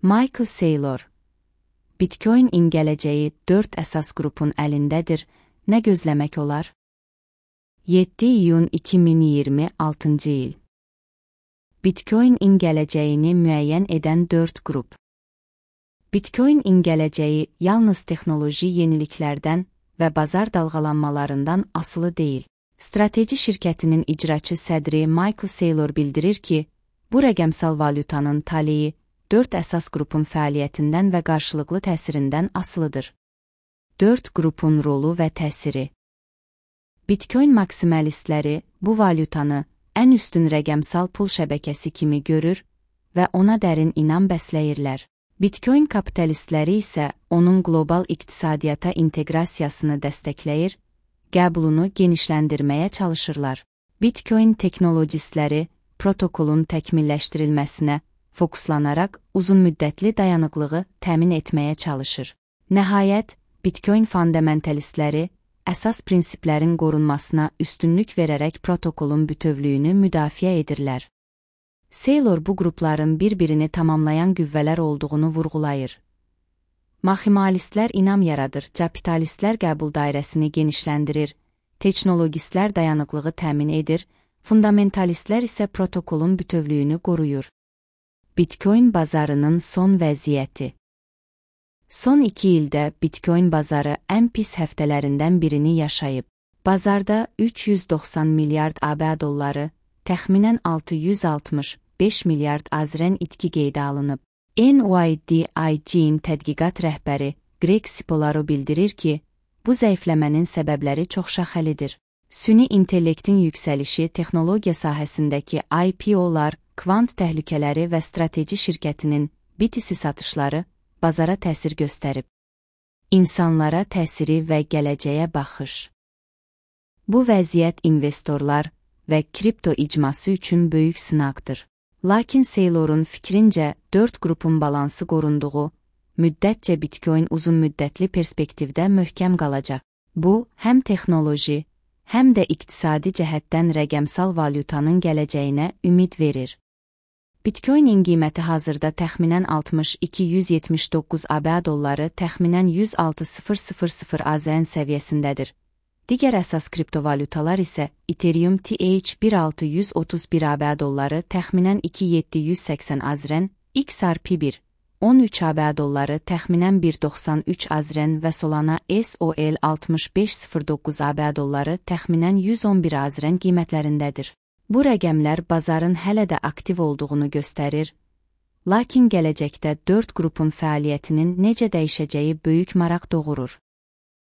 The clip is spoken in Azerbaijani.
Michael Saylor. Bitcoin-in gələcəyi 4 əsas qrupun əlindədir. Nə gözləmək olar? 7 iyun 2026 il. Bitcoin-in gələcəyini müəyyən edən 4 qrup. Bitcoin-in gələcəyi yalnız texnoloji yeniliklərdən və bazar dalğalanmalarından asılı deyil. Strateji şirkətinin icraçı sədri Michael Saylor bildirir ki, bu rəqəmsal valyutanın taleyi 4 əsas qrupun fəaliyyətindən və qarşılıqlı təsirindən asılıdır. 4 qrupun rolu və təsiri. Bitcoin maksimalistləri bu valyutanı ən üstün rəqəmsal pul şəbəkəsi kimi görür və ona dərin inam bəsləyirlər. Bitcoin kapitalistləri isə onun qlobal iqtisadiyyata inteqrasiyasını dəstəkləyir, qəbulunu genişləndirməyə çalışırlar. Bitcoin teknologistləri protokolun təkmilləşdirilməsinə fokuslanaraq uzunmüddətli dayanıqlığı təmin etməyə çalışır. Nəhayət, Bitcoin fundamentalistləri əsas prinsiplərin qorunmasına üstünlük verərək protokolun bütövlüyünü müdafiə edirlər. Saylor bu qrupların bir-birini tamamlayan qüvvələr olduğunu vurğulayır. Maximalistlər inam yaradır, kapitalistlər qəbul dairəsini genişləndirir, teknologistlər dayanıqlığı təmin edir, fundamentalistlər isə protokolun bütövlüyünü qoruyur. Bitcoin bazarının son vəziyyəti. Son 2 ildə Bitcoin bazarı ən pis həftələrindən birini yaşayıb. Bazarda 390 milyard AB dolları, təxminən 665 milyard azren itki qeydə alınıb. NYDIG-in tədqiqat rəhbəri Greg Cipollaro bildirir ki, bu zəifləmənin səbəbləri çoxşaxəlidir. Süni intellektin yüksəlişi, texnologiya sahəsindəki IPO-lar, kvant təhlükələri və strateji şirkətinin BTC satışları bazara təsir göstərib. İnsanlara təsiri və gələcəyə baxış. Bu vəziyyət investorlar və kripto icması üçün böyük sınaqdır. Lakin Saylor'un fikrincə 4 qrupun balansı qorunduğu müddətcə Bitcoin uzunmüddətli perspektivdə möhkəm qalacaq. Bu, həm texnoloji, həm də iqtisadi cəhətdən rəqəmsal valyutanın gələcəyinə ümid verir. Bitcoin-in qiyməti hazırda təxminən 62-179 AB dolları, təxminən 106.000 AZN səviyyəsindədir. Digər əsas kriptovalyutalar isə Ethereum TH1631 AB dolları, təxminən 2780 AZN, XRP1 13 AB dolları, təxminən 193 AZN və Solana SOL 6509 AB dolları, təxminən 111 AZN qiymətlərindədir. Bu rəqəmlər bazarın hələ də aktiv olduğunu göstərir, lakin gələcəkdə 4 qrupun fəaliyyətinin necə dəyişəcəyi böyük maraq doğurur.